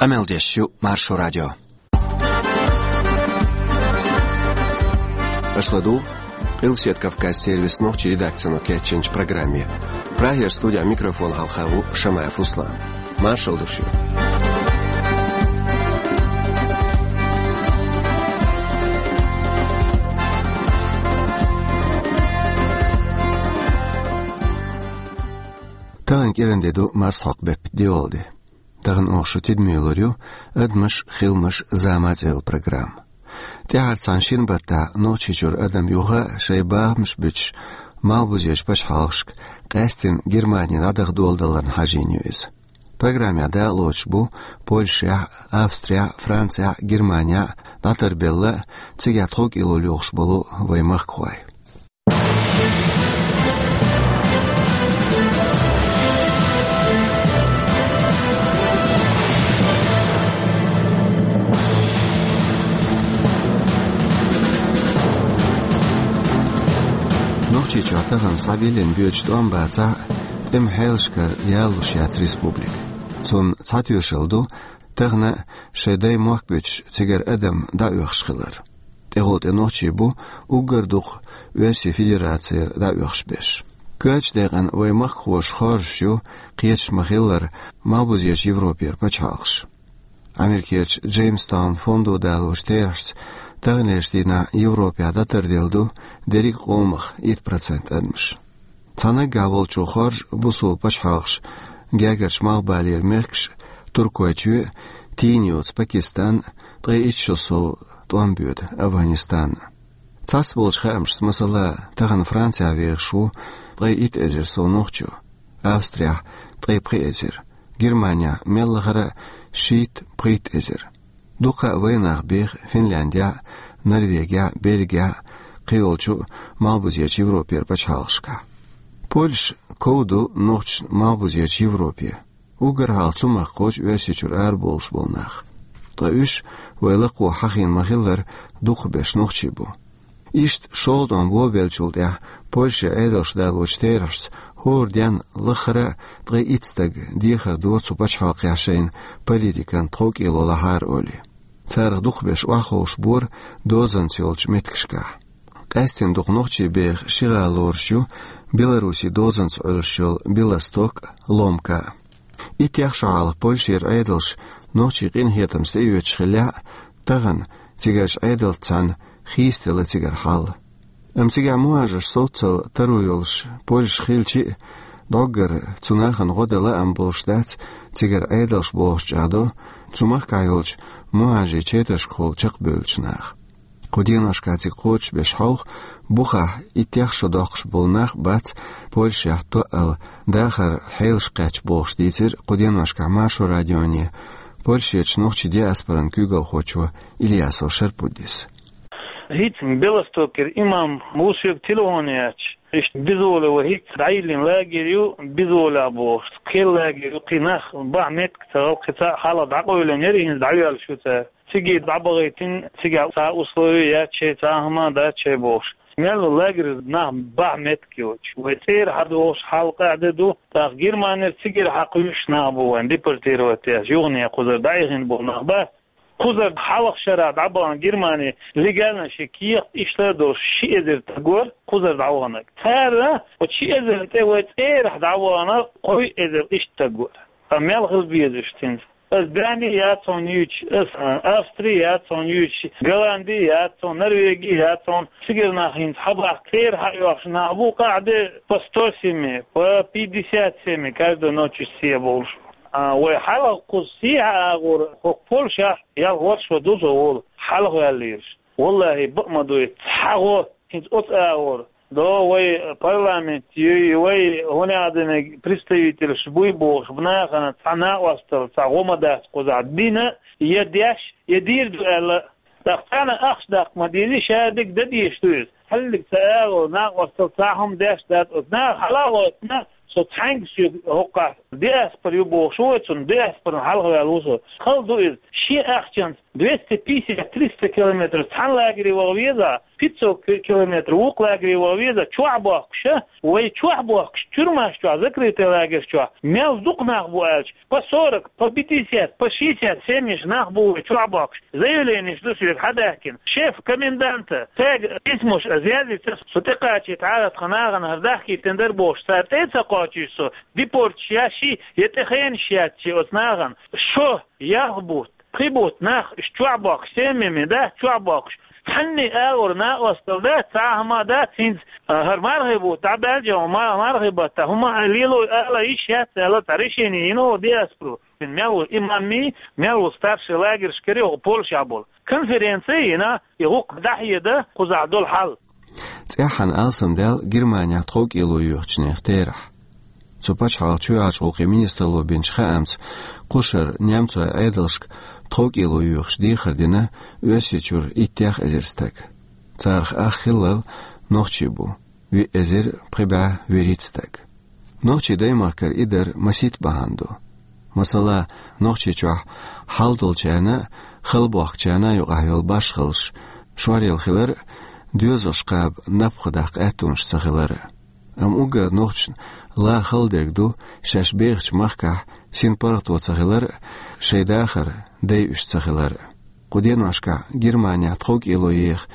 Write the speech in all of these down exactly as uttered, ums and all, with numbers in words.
Къамел деш ю Маршо радио. Аша ладугӀу Къилбаседа Кавказан сервисан нохчийн редакцино кечйинчу программе. Прагера студехь микрофон хьалха ву Шамаев Руслан. Маршалла ду шуьга. Тахана кӀиранде ду марсхьокху беттан доьалгӀа де. Тахана оха шун тидаме лур ю «Адамаш, хиламаш, зама» цӀе йолу программа. ТӀаьхьара цхьана шина баттахь Нохчийчуьра адам юха а шайн бахамаш буьтуш, малхбузерчу пачхьалкхашка къаьсттина Германи дӀадаха доладаларна хьажийна ю иза. Программехь дакъалоцуш бу Польшехь а, Австрехь а, Францехь а, Германехь а дӀатарбелла а, цигахь тховкӀело лоьхуш болу вайн махкахой. Нохчийчохь тахана схьабиллина боьдуш тӀом бацахь а, тӀеман хьелашкара ялалуш яц республика. Цунна цхьа тоьшалла ду, тахана шайн даймохк буьтуш цигара адам дӀаоьхуш хилар. ТӀехула тӀе нохчий бу уггар дукха Оьрсийн Федерацера дӀаоьхуш берш. Коьртачу декъана вайн махкахоша хоржуш ю, кхеташ ма-хиллара, малхбузерчу Европера пачхьалкхаш. Америкерчу Джеймстаун фондо далочу терахьашца таханлерчу дийнахь Европехь дӀатарделла ду дерриг а къомах итт процент адамаш. Цхьа наггахь волчо хоржу бусалба пачхьалкхаш, гергарчу Малхбалера мехкаш, Туркойчоь а, тийна йоцу Пакистан а, ткъе итт шо сов тӀом боьду Афганистан а. Цхьацболчу хаамашца, масала, тахана Францехь вехаш ву ткъе итт эзар сов нохчо, Австрехь ткъе пхи эзар, Германехь мел лахара а шийтта-пхийтта эзар. Дуккха а вайн нах беха Финляндехь а, Норвегехь а, Бельгехь а, кхийолчу малхбузерчу Европера пачхьалкхашкахь. Польша ков ду нохчашна малхбузерчу Европе. Уггар хьалха цу махкахочу Оьрсийчуьра арабовлуш болу нах. Ткъа уьш, вай лакхахь хьахийна ма-хиллара, дукхахберш нохчий бу. Иштта шолгӀа тӀом болабеллачул тӀаьхьа Польше Ӏедалш далочу терахьашца хӀора денна лахара а ткъе итт стаг дехар дора цу пачхьалкхехь шайна политикан тховкӀело лахьара олий. Царах дукхахберш охьаховшабора дозанца йолчу меттигашкахь. Къаьсттина дукха нохчий беха ши гӀала лоруш ю Беларусин дозанца Ӏуьллуш йолу Белосток а, Ломка а. Иттех шо хьалха Польшера Ӏедалша нохчийн къинхетамца тӀеоьцуш хиллехь а, тахана цигарчу Ӏедалца цхьаьна хийцаделла цигара хьал. Амма цигахь мухӀажарш совццал таро йолуш Польша хилчи а, дӀоггара цу нахана гӀо дан лаам болуш дац, цигара Ӏедалш бохуш чӀагӀдо цу махкахь йолчу мухӀажарийн четаршкахула чекхбевллачу наха. Кху деношкахь цига кхочушбеш хьовха, бухахь иттех шо доккхуш болу нах а бац Польшехь тоъал дахаран хьелаш кхаьчна бохуш, дийцира кху деношкахь Маршо радионе Польшерчу нохчийн диаспоран куьйгалхочо Ильясов Шарпуддис. ХӀинца Белостокера имам ву соьга телефон яьча, иштта безволя вай, хӀинца дӀайиллина лагерь ю, безволехь бохуш, кхин лагерь ю, кхин нах бахьа меттиг ца гӀала, кхин цхьа а хьалха дӀакъевлина яра, хӀинца дӀайоьллуш ю цара. Цига дӀабахийтина, цигахь цхьа условие яц шайн, цхьа а хӀума дац шайн бохуш. Мел ву лагерь, нах бахьа меттиг йоцуш. Вай цӀера хьадогӀуш хьал къаьхьа де ду, тӀаккха Германера цигара хьакхуьйсуш нах бу вайн депортировать деш, юхане кхузара дӀаихина болу нах бац. Кхузара хьалха шарахь дӀабахана Германи легально шен кехат иштта а долуш ши эзар стаг вара кхузара дӀаваханарг. Цара оцу ши эзарна тӀе вай цӀерахь дӀавахана кхо эзар иштта стаг вара. Ткъа мел хила безаш цуьнца? Аса Дани яц хьуна юьйцуш, аса, а, Австри яц хьуна юьйцуш, Голланди яц хьуна, Норвеги яц хьуна, цигара нах хӀинца хьабахка, цӀера хьаоьхуш нах бу, къаьхьа де по сто семей, по пятьдесят семей, каждую ночь схьа болуш. А, вай хьалха кхуза схьа агӀор, хӀокху Польшахь ялх ворхӀ шо ду со волу, хьалха ваьллераш. ВаллахӀи, бакъ ма дуй, цхьа гӀо хӀинца оцу агӀор. До вай парламент юй, вай хӀун аьлла динарг представителаш буй бохуш, нахана цхьа накъосталла, цхьа гӀо ма дац кхузахь дина, я деш, я дийр ду аьлла. ТӀаккха царна ахча даккха ма дезий, ша дерг дан дезаш ду иза. Хьаллиг ца агӀо, накъосталла цхьа хӀума деш дац оцу. Наха хьала а гӀоттина, со цхьаьнгга соьга хӀокхахь Диаспора ю бохуш ву вай цунна, диаспоран хьалха ваьлла ву со. Хала ду иза. Шен ахчанца двести пятьдесят, триста километр цхьана лагере ваха веза, пятьсот ки-, километр вукху лагере ваха веза, чохь бохкуш, а? Вай чохь бохкуш, тюрьмаш чохь, закрытый лагерь чохь, мел дукха нах бу аьлча, по сорок, по пятьдесят, по шестьдесят семьяш нах бу вай чохь бохкуш. Заявленеш ду соьга хьадаьхкина. Шеф коменданта, цаьрга письмош а язъяьй, со тӀекхачийта хьара тхан нахана хӀара дахкийтина дара бохуш, цара тӀе а ца кхочуьйтуш со, депорташ еш я, я тӀе хенаш яц шен оцу нахана. Шо, ялх бутт, пхи бутт нах, уьш чохь бохкуш, семьями дац чохь бохкуш. Цхьанне а агӀор накъосталла дац, цхьа а хӀума дац, хӀинца, а, хӀара мархий бутт дӀабаьлча, ма-, мархий баттахь хӀума а лело ала йиш яц аьлла, цхьа решение йина оха диаспоро. Мел ву имамми, мел ву старший лагершкара йогӀу Польшехь болу. Конференци а йина, и гӀуллакх дӀахьеда кхузахь долу хьал. ЦӀеххьана алсамдаьлла Германехь тховкӀело йоьхучу нехан терахь. Цу пачхьалкхан чоьхьарчу гӀуллакхийн министралло бинчу хаамца, кхушара немцойн Ӏедалшка тховкӀело йоьхуш дехар дина Оьрсийчуьра иттех эзар стаг. Царах ах хиллал нохчий бу, виъ эзар пхи бӀе вуьрхӀитта стаг. Нохчийн даймахкара и дар масийтта бахьана ду. Масала, Нохчийчохь хьал долчарна а, хала бохкучарна а юкъахь йолу башхаллаш шоръелла хилар а, доьзалш кхаба напха даккха аьттонаш ца хилар а. Амма уггар нохчашна ла хала дерг ду, шаьш бехачу махкахь синпаргӀато ца хилар а, шайн дахар дайъуш ца хилар а. Кху деношкахь Германехь тховкӀело еха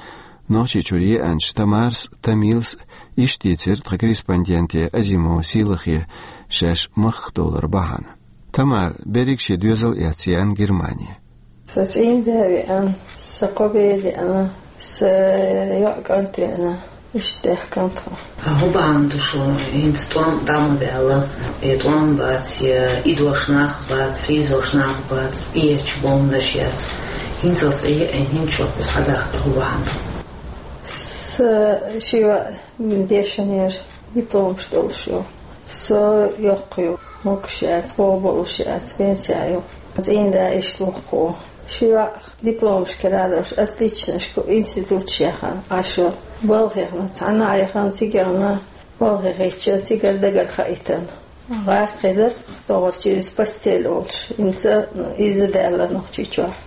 Нохчийчуьра еанчу Тамарас а, Тамилас а иштта дийцира тхан корреспонденте Азимова Сийлахе шаьш махках довлар бахьана. Тамара берриг шен доьзал а эцна еана Германе. Сан цӀийнда а веана, сан кхо бер деана, сан йоӀ кӀант веана. Иштта даьхкина тхо. ХӀун бахьана ду шуна, хӀинца тӀом дӀа ма баьлла, и тӀом бац, я идош нах бац, хьийзош нах бац, и ечу бомбанаш яц. ХӀинцалц Ӏе а, хӀинца шух кхуза схьадахка хӀун бахьана ду? Сан ши йоӀ дешнера, дипломаш долуш ю. Со йоккха ю, могуш яц, боху болуш яц, пенсехь ю. ЦӀийнда иштта ву-кх. Ши йоӀ дипломашкара а долуш, отличнашка институташ яхана, Ӏаш йолу. Балха яхана, цхьанна а яхана, цига яхана, балха хетча, цигара дагара хаийтина. ГӀазкхи хилира, тохара через постель олуш, хӀинца иза даьлла Нохчийчохь.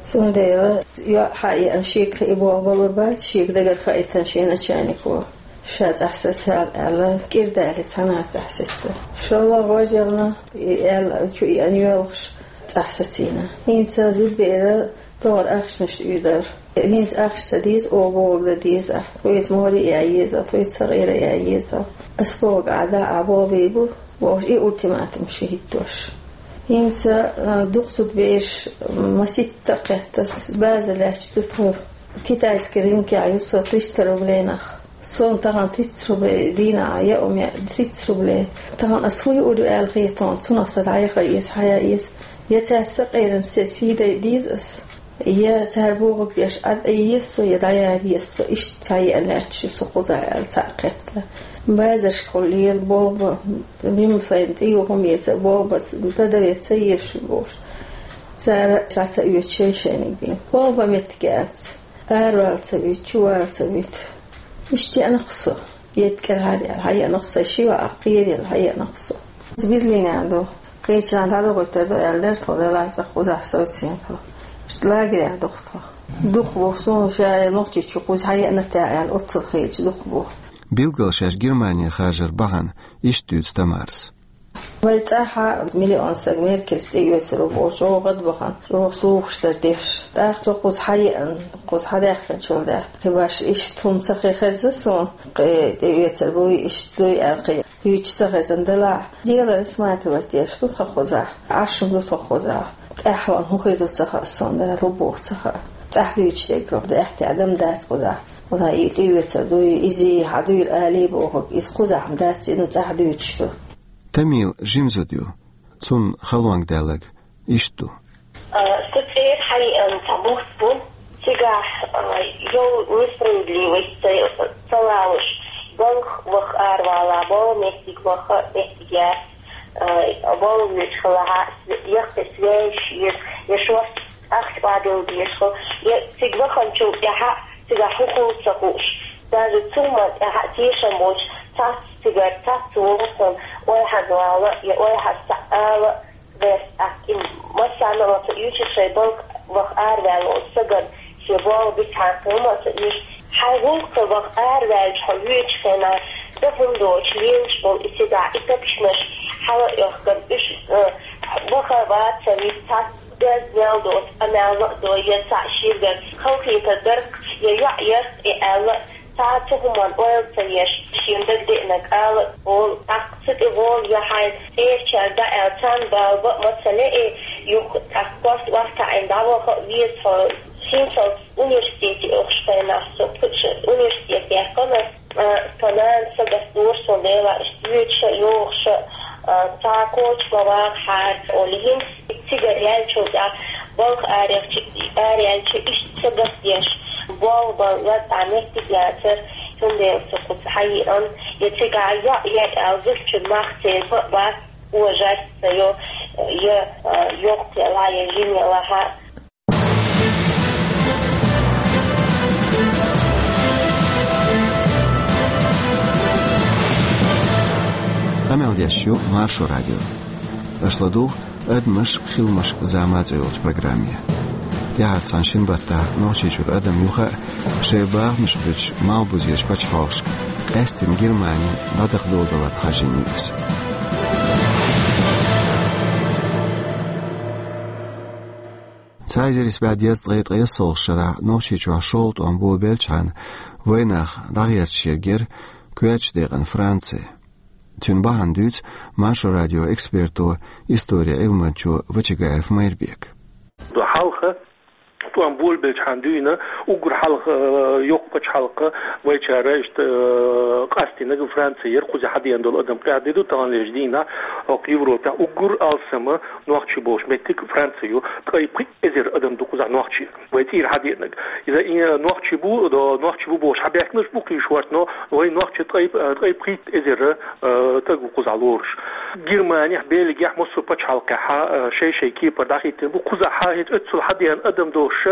Цундела йоӀ хьаеана, шега кхин болх балур бац, шега дагара хаийтина шен начальнико. Ша цӀахь саца аьлла, кӀира дале, цхьаннахьа цӀахь саца. ШоллагӀа вож яхана, и аьлла, чу еана йоьлхуш, цӀахь сацийна. ХӀинца зудбера тохара ахчанаш уьйдара. ХӀинца ахча ца деза, оха бохург дан деза ахь. Тхоьца море ян еза, тхоьца сакъера ян еза. Ас бохург ахь дӀа а болх бийр бу, бохуш, и ультиматум ши хӀиттош. ХӀинца, а, дукха зудбераш маситта а кхетта, база лаьтташ ду тхо. Китайский рынкехь ю со триста рублей нах. Суна тахана тридцать рублей дийнахь яа у меа, тридцать рублей. Тахана ас хӀун юур ю аьлла хета хьуна, цунах сан дӀаяха еза, хьаян еза. Я цаьрца сакъеран се сий дайа деза ас, я цара бохург деш Ӏад Ӏе еза со, я дӀаяра еза со. Иштта цхьа еана лаьтташ ю со кхузахь аьлла, цхьаъ кхетта. Базаршкахула лела болх бан, мимфайн тӀе ю хӀума эца, болх бан, тӀадаве ца езаш ю бохуш. Цара ша ца оьцу шайн-шайниг бен. Болх бан меттиг яц. Аравала ца вуьту, чувала ца вуьту. Иштта еана-кх со. Етт кӀелхьара аьлла, хьаеана-кх со, ши ваӀа кхераелла, хьаеана-кх со. Берлинехь ду. Кхечарна дӀадохуьйтур ду аьлла дара тхо, делахь цӀа кхузахь совцийна тхо. Иштта лагерехь ду-кх тхо. Дукха бу, суна ша Нохчийчу кхуза хьаеана тӀехь аьлла, оццул хеташ дукха бу. Билггал шаьш Германе хажар бахьана иштта дуьйцу Тамарас. Вай цӀахь а миллион стаг Меркельс тӀеоьцур ву бохуш, чӀогӀа гӀадбахана, чӀогӀа слухаш дара деш. ТӀаккха со кхуза хьаеана, кхуза хьадаьхкинчул тӀаьхьа, кхин башха иштта хӀума ца хи хезна суна, кхин тӀеоьцур буй, иштта дуй аьлла, кхин дуьйцуш ца хезна делахь. Дело рассматривать деш ду тхо кхузахь, Ӏаш хӀума ду тхо кхузахь. ТӀаьхьа хӀун хир ду ца хаьа суна, лу боху ца хаьа. ЦӀахь дуьйцуш дерг хӀума ду, аьттехьа дам дац кхузахь. Кхузахь и тӀеоьцур дуй, иза хьан дуйла алий бохург, иза кхузахь хӀума дац, иза цӀахь дуьйцуш ду. Тамила жима зуда ю. Цунна халонга даьлларг иштта ду. А, сан цӀера хьаеана цхьа бутт бу. Цигахь, а, йолу несправедливость ца, ца лалуш, балха ваха аравала, болу меттиг ваха меттиг яц, а, болу вуьйцу хилахь, яккхий связь еза, я шорта ахча охьадилла деза хила, я цига ваханчул тӀаьхьа цигахь хӀун хуьлу ца хууш. Даже цу ма тӀехьа тешам боцуш, цац цигара, цац вовшахтана ойхьаза вала я ойхьаза ца ала, вес ахь и массарна а ваца уьйцуш шайн балха ваха араваьлла волу сагана шен болх бицхьан хӀума а ца уьйцуш. Хьайн гӀуллакхе ваха араваьлча хьо вуьйцучу хенахь, дан хӀума доцуш лелаш болу и цигахь и тапчамаш хьала а йохкана, уьш, э, ваха ваца вист цхьа деза мел доцу, къамел а до, я цхьаъ ширгара халахетар дарх, я йоӀ ярх и аьлла, цхьа а цу хӀуманна ойла ца еш, шена дагадеанарг ала а олу, тӀаккха цу тӀе гӀоле я хьайн цӀерачаьрга дӀааьлла, царна бала бан а ма ца ле, юха тӀаккха корта охьатаӀийна дӀаваха а веза хьо. ХӀинцалц университете оьхуш хенахь со, кхуьуш университет яьккхина ас, а, тхан нана сагатдора суна, Дела, иштта вуьйцуш а, йогӀуш а, а, цхьа коча ма вагӀахьара олий, хӀинца цигара яьллачул тӀаьхьа балха араяьлча, араяьлча иштта сагатдеш, болх бан лаза а меттиг яцара, цундела со кхуза хьаеана, я цигахь йоӀ яра аьлла, зудчун мах церан бан а бац, ожаьчца йо, я, а, йоккха ялахь, я жима ялахь. Къамел деш ю Маршо радио. Аша ладугӀу «Адамаш а, хиламаш а, зама а» цӀе йолчу программе. ТӀаьхьарчу цхьана шина баттахь Нохчийчуьра адам юха а шайн бахамаш буьтуш малхбузерчу пачхьалкхашка, къаьсттина Германина, дӀадаккха догӀу даларна хьажийна ю иза. Цхьа эзар исс бӀе дезткъе ткъайоьсналгӀачу шарахь Нохчийчохь шолгӀа тӀом болабелчхьана, вайнах дӀагӀерташ ерг яра коьртачу декъана Франци. Цуьнан бахьана дуьйцу Маршо радион эксперто, историн Ӏилманчо Вачагаев Майрбека. Хьалха тӀом болабелчхьана дуьйна, уггар хьалха, э, йоккха пачхьалкх вайчара иштта, э, къастийнарг Франци яра, кхузахь хьадеана долу адам къаьхьа де ду, таханлерчу дийнахь хӀокху Европехь уггар алсам нохчий болуш меттиг Франци ю, ткъе пхиъ эзар адам ду кхузахь нохчий. Вай цӀийра хьадеанарг. Иза и нохчий бу, до-, нохчий бу бохуш хьабаьхкинарш бу кхин шортта, но вай нохчий ткъе, ткъе пхийтта эзар, э, стаг ву кхузахь лоруш. Германехь, Бельгехь, массо а пачхьалкхехь, э, шай-шай кепара дӀахӀиттина бу. Кхузахь хӀинца оццул хьадеана адам долуш,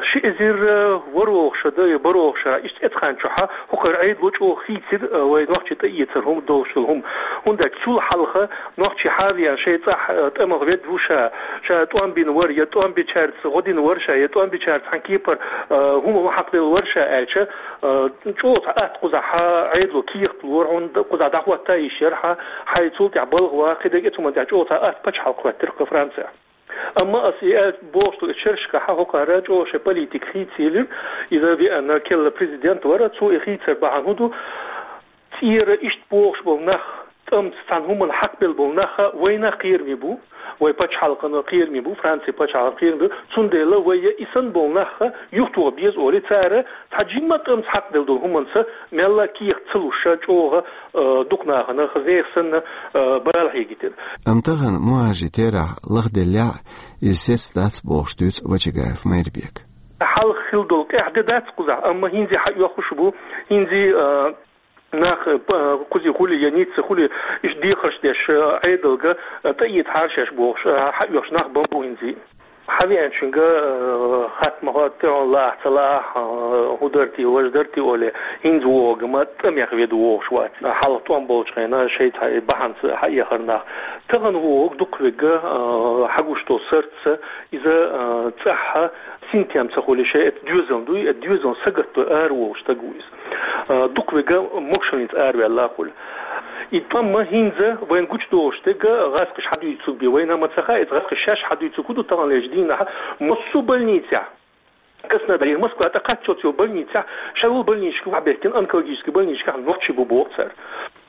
ши эзар, э, ворхӀалгӀа шо дан я бархӀалгӀа шо, иштта эцхьанчохь хӀокхара Ӏедало чӀогӀа хийцира, э, вай нохчий тӀеэцар хӀума долуш долу хӀума. ХӀунда аьлча цул хьалха нохчий хьавеана шайн цӀахь, э, тӀамах ведда ву ша, ша тӀом бина вара, я тӀом бичаьрца гӀо дина вара ша, я тӀом бичаьрца цхьана кепара, э, хӀума хьакхаделла вара ша аьлча, э, чӀогӀа цхьа атта кхузахь Ӏедало кехат лора хьуна, кхузахь дӀахӀотта йиш яра хьан, хьайн цул тӀаьхьа балха ван, кхидерг а цу хӀуманна тӀехь чӀогӀа цхьа атта пачхьалкх хӀоьттира кху Францехь. Амма ас и аьлла бохуш долу и шерашкахь хӀокхара чӀогӀа шайн политика хийца елира, иза веана керла президент вара, цо и хийцар бахьана хӀун ду, цӀера иштта бохуш болу нах, тӀамца цхьана хӀуманна хьакхабелла болу нах вайна кхераме бу, вай пачхьалкхана кхераме бу, Францин пачхьалкхана кхераме бу, цундела вай я и санна болу нах юхатоха беза олий, цара цхьа жимма тӀамца хьакхабелла долу хӀуманца мелла а кехат ца луш, чӀогӀа, э, дукха нахана, хаза нехан санна, э, бала хьегийтира. Амма тахана мухӀажарийн терахь лахделлехь а, иза сецна дац бохуш дуьйцу Вачагаев Майрбека. Хьалха хилла долу къаьхьа де дац кхузахь, амма хӀинца хьаоьхуш бу, хӀинца, э, нах, э, п-, кхузахь хуьлий я Ниццехь хуьлий, иштта дехарш деш, э, Ӏедалга, э, тӀеэцахьара шаьш бохуш, э, хьаоьхуш нах бан бу хӀинца. Хьавеанчуьнга, э, хатта ма хӀоттий хьуна, лаахь ца лаахь, э, хӀун дара те, важа дара те олий, хӀинца вогӀург ма тӀамех ведда вогӀуш вац. Хьалха тӀом болчу хенахь шайца хьа-, бахьанца хьаэхар нах. Тахана вогӀург дукхахверг, э, хьагуш долу сарц, иза, э, цӀахь синтем ца хуьлий, шайн эта доьзална дуй, эта доьзална сагатдой ара вогӀуш стаг ву иза. Э, дукхахверг могушаллица араваьлла хуьлу. И тӀом ма хӀинца вайна гучудолуш дерг гӀазкхаша хьадуьйцург бен вайна ма ца хаьа, иза гӀазкхаша шаьш хьадуьйцург хӀун ду таханлерчу дийнахь, массо а больницехь, Краснодарехь, Москва тӀе кхаччалц йолу больницехь, шайн волу больничка хьабаьхкина, онкологический больничкахь нохчий бу боху цара.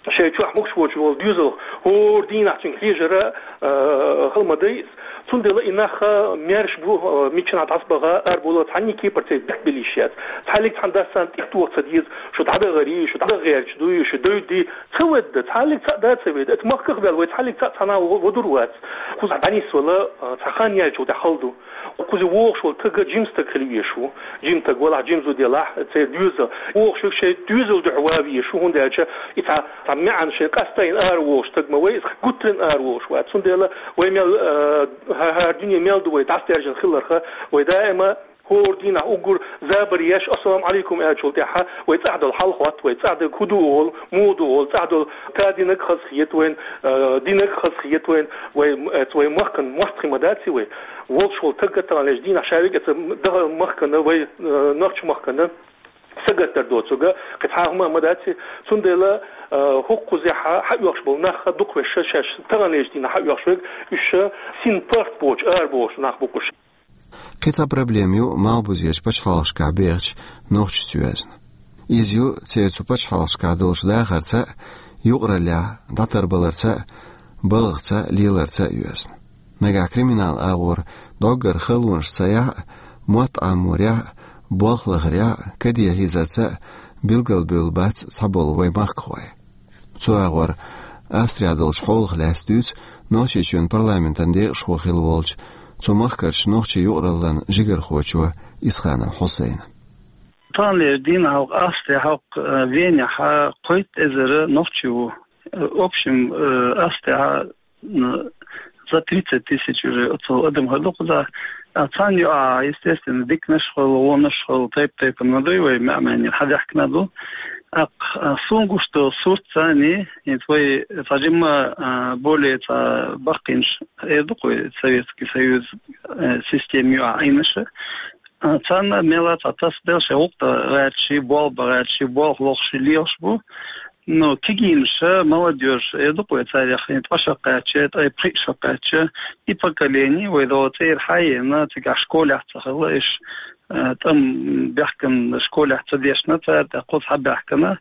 Шайн чохь могуш воцуш волу доьзалх хӀора дийнахь цуьнга хьежара, э, хала ма дай иза. Цундела и нах, э, маьрша бу, э, миччанхьа дӀасабаха, арабовла, цхьанний кепара церан бехк била йиш яц. Цхьаьллиг цхьана дас царна тӀехтоха ца деза, шу дӀадахаре, шу дӀадахарча дуй, шу девдде, ца ведда, цхьаьллиг цхьаъ да ца ведда. Эца махках ваьлла вай цхьаьллиг цхьаъ цхьана а во-, во-, водур вац. Кхузахь дӀанисвала, э, цхьа хан яьлчул тӀаьхьа хала ду. Кхуза вогӀуш волу стаг жима стаг хила везаш ву. Жима стаг валахь, жима зуда ялахь, церан доьзал. ВогӀуш верг шайн доьзалан дуьхьа ван везаш ву, хӀунда аьлча и цхьа, цхьа маьӀна шайн къастийна ара вогӀуш стаг ма вай, иза гуттаренна ара вогӀуш вац. Цундела вай мел, э, хӀа-, хӀара дуьне мел ду вай дӀасадаьржина хиларх, вай даима ХӀора дийнахьа уггар забар еш, ассаламу Ӏалайкум аьллачул тӀехьа вай цӀагӀа дола хьал хетт, вай цӀагӀа дерг хӀун ду олу, муха ду олу, цӀагӀа дола та динарг хазахета вайна, э, динарг хазахета вайна, вай, э, вай махкана мостагӀий ма дац вай. Волуш волу стаг таханлерчу дийнахьа ша вега ца даха махкана, вай, э, нохча махкана сагатдар доцург, кхин цхьа хӀума ма дац. Цундела, э, хӀокхузехьа хьаоьхуш болу нах дукха веш шаьш таханлерчу дийнахьа хьаоьхуш верг, уьш син паргӀат боцуш, ара бохуш нах бу-кх уьш. Кхин цхьа проблема ю малхбузерчу пачхьалкхашкахь бехачу нохчашца йоьзна. Иза ю церан цу пачхьалкхашкахь долчу дахарца а, юкъараллехь дӀатарбаларца а, балхаца а, леларца а йоьзна. Нагахь криминал агӀор доггара халонаш ца яхь а, мотт Ӏаморехь а, болх лахарехь а, каде хьийзарца а билгалбевлла бац цхьаболу вай махкахой. Цу агӀор Австрехь долчу хьолах лаьцна дуьйцу Нохчийчоьнан парламентан декъашхо хилла волчу, цу махкарчу нохчийн юкъараллан жигархочо Исханов Хьусайна. Таханлерчу дийнахь хӀокху Австрехь, хӀокху, э, Венехь кхойтта эзар нохчи ву. Э, в общем, э, Австрехь, м, за тридцать тысяч уже оцу адам хир ду кхузахь. А царна юкъахь, естественно, диканаш а хуьлу, вонаш а хуьлу, тайп-тайпана ма дуй, вай маьӀ-маьӀӀера хьадаьхкина а ду. ТӀаккха, а, суна гуш долу сурт царний, хӀинца вай цхьа жимма, а, более цхьа баккхийнаш эр ду-кх вай Советский Союз, э, система юкъахь Ӏийнарш. А, царна мелла а цхьа тасадала шайн гӀуллакх дан гӀерташ, болх бан гӀерташ, болх лохуш лелаш бу. Ну, кегийнаш, молодёжь, эр ду-кх вай царех, хӀинца ткъа шо кхаьчча, ткъе пхиъ шо кхаьчча, и поколение, вай догӀу цӀера хьаена, цигахь школехь ца хилла, иш, э, тӀам бехкан школехь ца дешна цара, тӀаккха кхуза хьабаьхкина,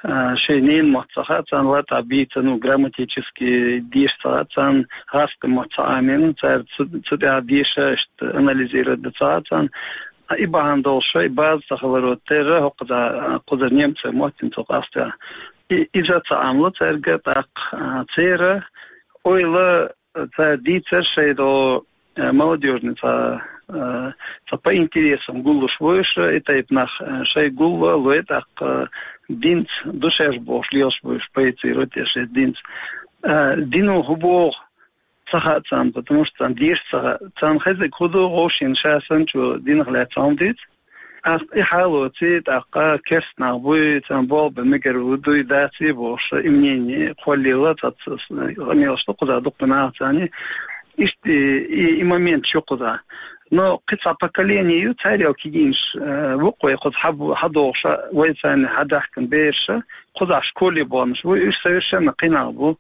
э, шайн ненан мотт ца хаьа царна, латта бийца, ну, грамматически деша ца хаьа царна, гӀазкхийн мотт ца Ӏамийна, цара цу, цу тӀехь деша, иштта анализировать дан ца хаьа царна. А и бахьана долуш, и база ца хиларо терра, хӀокхуза, кхузара немцойн мотт хӀинца хӀокху Австрехь. И, иза ца Ӏамло цаьрга, тӀаккха, а, церан ойла, а, цара дийцар шайн догӀу, а, молодёжный цхьа, а, цхьа по интересам гуллуш ву уьш, и тайпа нах, а, шайн гулло лой, тӀаккха, а, динца ду шаьш бохуш лелаш бу уьш, проецировать еш шайн динца. А, дино хӀун боху? Ца хаьа царна, потому что царна деша ца хаьа. Царна хезарг хӀун ду, вовшийн ша санначо динах лаьцна хӀума дийца. ТӀаккха и хьалоций, тӀаккха керста нах буй, царна болх бан мегар ву, дуй, даций бохуш, и мнение кхоллийла, цхьацца къамелаш ду кхузахь дукха нах царний. Иштта и, и, и моменташ ю кхузахь. Но кхин цхьа поколение ю, царел кегийнаш, э, ву-кх вай кхуза хьаб-, хьадогӀуш, вай царна хьадаьхкина бераш, кхузахь школе баханаш бу, уьш совершенно кхин нах бу.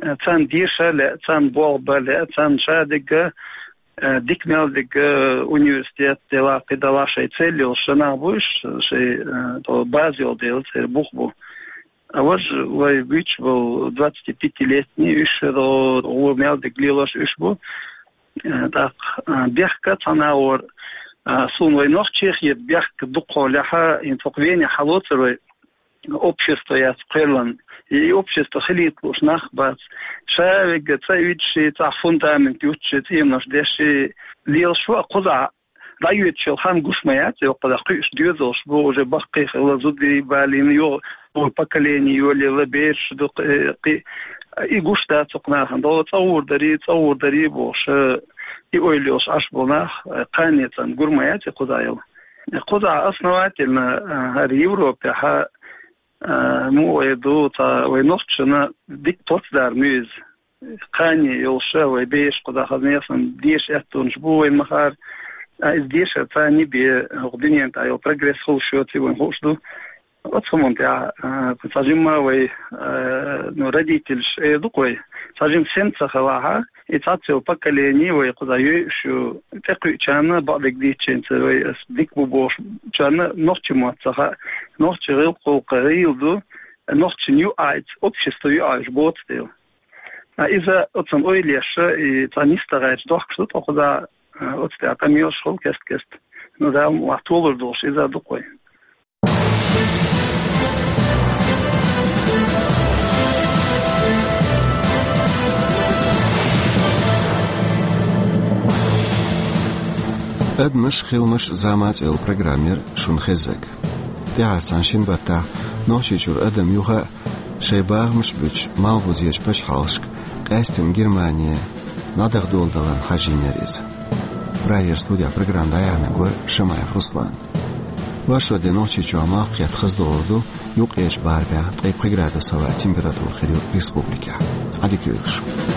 Э, царна деша лаьа, царна болх бан лаьа, царна ша дерг, э, дика мел дерг, э, университет делахь, кхидӀа делахь, шайн цель йолуш нах бу уьш, шайн, э, тӀо база йолу дела, церан бух бу. А важа вай буьйцуш болу двадцатипятилетний, уьш, э, гӀо мел дерг лелош уьш бу. Э, тӀаккха, э, бехк цхьана агӀор, э, суна вай нохчех а бехк дукхахьолехь, хӀинца хӀокху Вене хьалоцур вай, общество яц кхоьллина. И общество хилийта лууш нах бац. Ша вегга цӀа уьдуш, цӀахь фундамент юттуш, цӀенош деш лелаш ву, а кхузахь дӀайоьдуш йолу хан гуш ма яц, и кхузахь кхуьуш доьзалш бу, уже баккхий хилла, зударий балийна, юха поколение йолаелла, бераш ду, кхи-, кхи-, и гуш дац оцу нахана. ДогӀу цӀа гӀур дарий, цӀа гӀур дарий бохуш, и ойла йолуш Ӏаш болу нах, кхане царна гур ма яц и кхузахь йолу. Кхузахь основательно, э, хӀара Европехь, э, муха эр ду, цхьа вай нохчашна дика плацдарм ю иза. Кхане йолуш вай бераш кхузахь хазна ясна деша аьттонаш бу вайн махара. А иза дешар царна бен, хӀокху дуьненан тӀехь йолу прогресс хуьлуш йоций вайна хууш ду. Оцу хӀуманна тӀехь, а, цхьа жимма вай, а, ну, родительш эр ду-кх вай. Цхьа жимма сен ца хилахь, и цхьацца йолу поколение вай кхузахь йойуш ю, тӀекхуьучарна бакъдерг дийцича, вай ас дика бу бохучарна нохчийн мотт ца хаьа, нохчийн гӀиллакх-гӀуллакх гӀийла ду, нохчийн юкъахь, общество юкъахь уьш боцу дела. А иза оцунна ойла еш, и цхьа нисдан гӀерташ дохкуш ду тхо кхузахь, а, оцу тӀехь къамелаш хуьлу кест-кеста. Ну, Дала мукъ лахь, толур долуш иза ду-кх вай. «Адамаш, хиламаш, зама» цӀе йолу программа яра шуна хезнарг. ТӀаьхьарчу цхьана шина баттахь Нохчийчуьра адам юха а шайн бахамаш а буьтуш, малхбузерчу пачхьалкхашка, къаьсттина Германе, дӀадахадоладаларна хьажийнера иза. Прагера студехь программа дӀаяьхьнарг вара Шамаев Руслан. Вайшралла де Нохчийчохь малх кхетта хаза долур ду, юккъерчу барамехь ткъе пхи градус хилла температура хир ю республикехь. Ӏадика йойла шун.